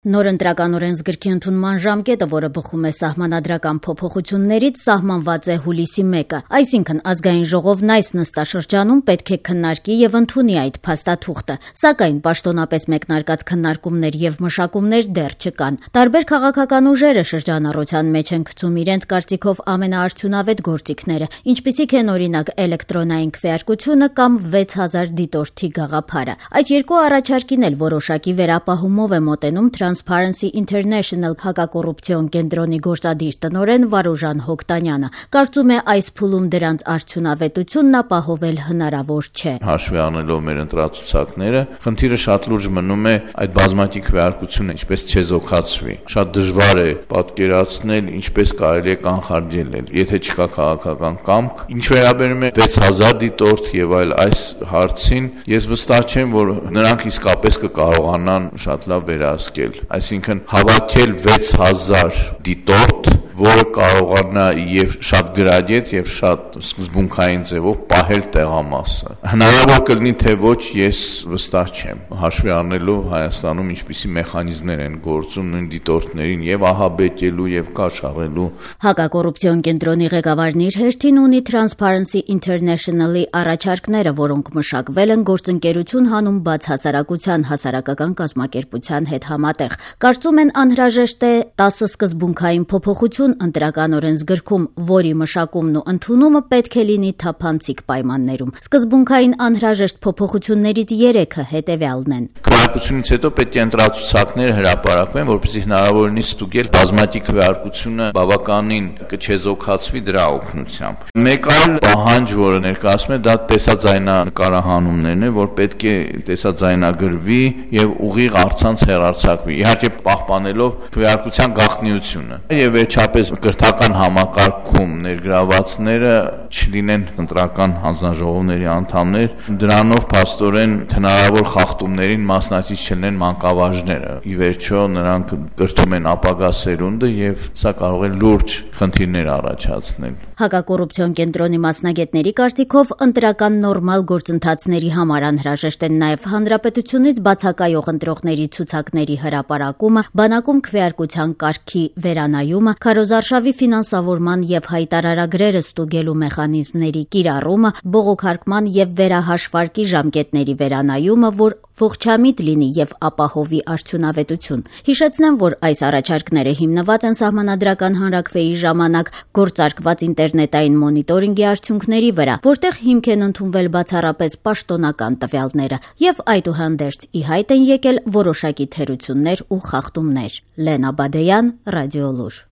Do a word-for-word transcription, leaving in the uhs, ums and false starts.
Նոր ընտրական օրենսգրքի ընդունման ժամկետը, որը բխում է սահմանադրական փոփոխություններից, սահմանված է հուլիսի մեկը, այսինքն ազգային ժողովն այս նստաշրջանում պետք է քննարկի եւ ընդունի այդ փաստաթուղթը, սակայն պաշտոնապես մեկնարկած քննարկումներ եւ մշակումներ դեռ չկան։ Տարբեր քաղաքական ուժերը շրջանառության մեջ են գցում իրենց կարծիքով ամենաարդյունավետ գործիքները, ինչպիսիք են օրինակ էլեկտրոնային քվեարկությունը կամ վեց հազար դիտորդի գաղափարը։ Այդ երկու առաջարկին էլ որոշակի վերապահումով է մոտենում Transparency International հակակոռուպցիոն կենտրոնի գործադիր տնօրեն Վարուժան Հոկտանյանը, կարծում է այս փուլում դրանց արդյունավետությունն ապահովել հնարավոր չէ։ Հաշվի առնելով մեր ընտրացուցակները, խնդիրը շատ լուրջ մնում է այդ բազմակի քվեարկությունը ինչպես չեզոքացվի։ Շատ դժվար է պատկերացնել ինչպես կարելի է կանխարգելել, եթե չկա քաղաքական կամք։ Ինչ վերաբերում է վեց հազար դիտորդ եւ այլ այս հարցին, ես վստահ չեմ, որ նրանք իսկապես կկարողանան շատ լավ վերահսկել, այսինքն հավաքել վեց հազար դիտորդ, որը կարողանա եւ շատ գրադիետ եւ շատ սկզբունքային ձևով պահել տեղամասը։ Հնարավոր կլինի թե ոչ, ես վստահ չեմ, հաշվի առնելով Հայաստանում ինչպիսի մեխանիզմներ են գործում նույն դիտորդներին եւ ահաբեկելու եւ կաշառելու։ Հակակոռուպցիոն կենտրոնի ղեկավարն իր հերթին ունի Transparency International-ի առաջարկները, որոնք մշակվել են գործընկերություն հանում բաց հասարակության հասարակական կազմակերպության հետ համատեղ։ Կարծում են անհրաժեշտ է տասը սկզբունքային փոփոխություն ընտրական օրենսգրքում, որի մշակումն ու ընդունումը պետք է լինի թափանցիկ պայմաններում։ Սկզբունքային անհրաժեշտ փոփոխություններից երեքը հետևյալն են։ Քվեարկությունից հետո պետք է ընտրացուցակներ հրապարակվեն, որպեսզի հնարավոր լինի ստուգել բազմակի քվեարկությունը բավականին կչեզոքացվի դրա օգնությամբ։ Մեկ այլ պահանջ, որը ներկայացնում է, դա տեսաձայնանկարահանումներն է, որ պետք է տեսաձայնագրվի եւ ուղիղ առցանց հեռարձակվի, իհարկե պահպանելով քվեարկության գաղտնիությունը։ Եվ վերջապես կրթական համակարգում ներգրավվածները չլինեն ընտրական հանձնաժողովների անդամներ, դրանով փաստորեն հնարավոր խախտումներին մասնակից չլինեն մանկավարժները։ Ի վերջո նրանք կրթում են ապագա սերունդը եւ սա կարող է լուրջ խնդիրներ առաջացնել։ Հակակոռուպցիոն կենտրոնի մասնագետների կարծիքով ընտրական նորմալ գործընթացների համար անհրաժեշտ են նաև հանրապետությունից բացակայող ընտրողների ցուցակների հրապարակումը, բանակում քվեարկության կարգի վերանայումը, քարոզարշավի ֆինանսավորման եւ հայտարարագրերը ստուգելու մեխանիզմների կիրառումը, բողոքարկման եւ վերահաշվարկի ժամկետների վերանայումը, որ ողջամիտ լինի եւ ապահովի արդյունավետություն։ Հիշեցնեմ, որ այս առաջարկները հիմնված են սահմանադրական հանրաքվեի ժամանակ գործարկված ինտերնետային մոնիտորինգի արդյունքների վրա, որտեղ հիմք են ընդունվել բացառապես պաշտոնական տվյալները եւ այդուհանդերձ ի հայտ են եկել որոշակի թերություններ ու խախտումներ։ Լենա Բադեյան, Ռադիոլուր։